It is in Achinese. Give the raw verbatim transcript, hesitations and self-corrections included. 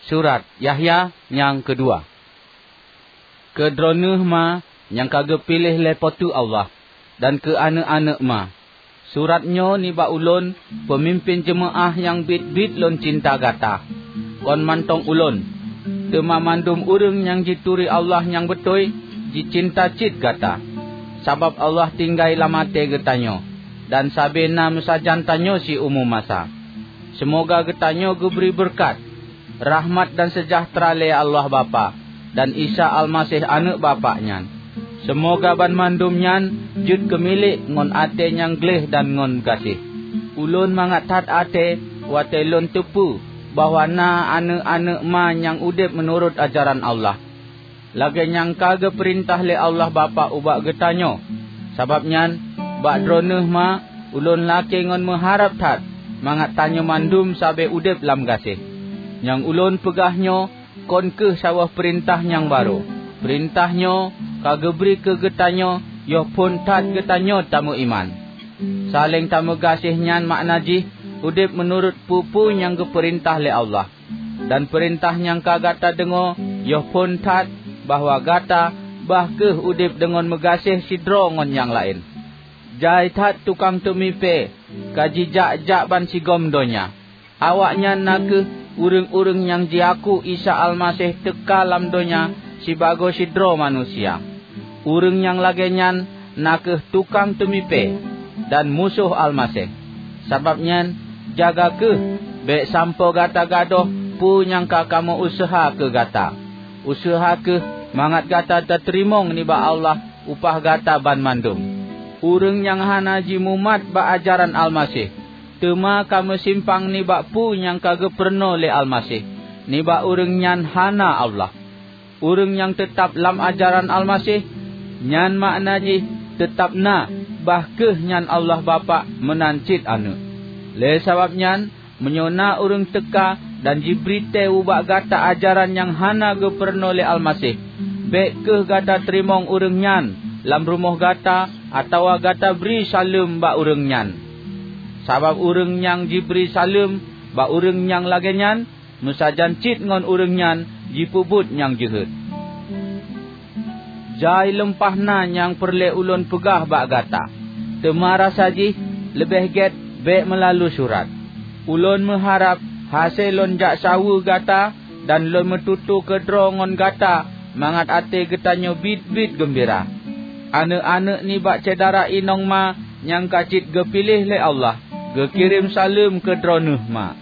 Surat Yahya nyang keudua. Keu droeneueh ma nyang ka geupiléh lé Po teu Allah, dan keu aneuëk-aneuëk ma. Surat nyoe nibak ulôn, peumimpén jeumaáh nyang biet-biet lôn cinta gata. Kon mantong ulôn, teuma mandum ureuëng nyang jituri Allah nyang beutôi, jicinta cit gata. Sabab Allah tinggai lam até geutanyoe, dan sabe na meusajan tanyoe siumu masa. Seumoga geutanyoe geubri beureukat, rahmat dan seujahteura lé Allah Bapak dan Isa Almaseh Aneuëk Bapak nyan. Seumoga banmandum nyan jeuet keumilék ngon até nyang gleh dan ngon gaséh. Ulôn mangat that até watée lôn teupeue bahwa na aneuëk-aneuëk ma nyang udeb meunurot ajaran Allah, lagée nyang ka geupeurintah lé Allah Bapak ubak geutanyoe. Sabab nyan, bak droeneueh ma, ulôn lakée ngon meuharab that mangat tanyoe mandum sabe udeb lam gaséh. Nyang ulôn peugah nyoe kon kheueh saboh peurintah nyang barô. Peurintah nyoe ka geubri keu geutanyoe yoh phon that geutanyoe tameuiman. Saléng tameugaséh nyan makna jih udeb meunurot peue-peue nyang geupeurintah lé Allah. Dan peurintah nyang ka gata deungoe yoh phon that bahwa gata bah kheueh udeb deungon meugaséh sidroe ngon nyang laén. Jai that tukang teumipée ka jijak-jak bansigom donya. Awaknyan na kheueh ureuëng-ureuëng nyang jiaku Isa Almaseh teuka lam donya sibagoe sidroe manusia. Ureuëng nyang lagée nyan na kheueh tukang teumipée dan musoh Almaseh. Sabab nyan, jaga kheueh bék sampoe gata gadôh peue nyang ka kamoe useuha keu gata. Useuha kheueh mangat gata tateurimong nibak Allah upah gata banmandum. Ureuëng nyang hana jimumat bak ajaran Almaseh, teuma ka meusimpang nibak peue nyang ka geupurunoe lé Almaseh nibak ureuëng nyan hana Allah. Ureuëng nyang teutab lam ajaran Almaseh, nyan makna jih teutab na, bah kheueh nyan Allah Bapak meunan cit Aneuëk. Lé sabab nyan, meunyoe na ureuëng teuka dan jibri tée ubak gata ajaran nyang hana geupurunoe lé Almaseh, bék kheueh gata teurimong ureuëng nyan lam rumoh gata atawa gata bri saleuem bak ureuëng nyan. Sabab ureuëng nyang jibri saleuem bak ureuëng nyang lagée nyan, meusajan cit ngon ureuëng nyan jipeubuet nyang jeuhet. Jai leumpah na nyang peureulée ulôn peugah bak gata, teuma rasa jih leubeh gét bék meulalu surat. Ulôn meuharab hase lôn jak saweue gata dan lôn meututoe keudroe ngon gata mangat até geutanyoe biet-biet geumbira. Aneuëk-aneuëk nibak syedara inong ma nyang ka cit geupiléh lé Allah geukirém saleuem keu droeneueh ma.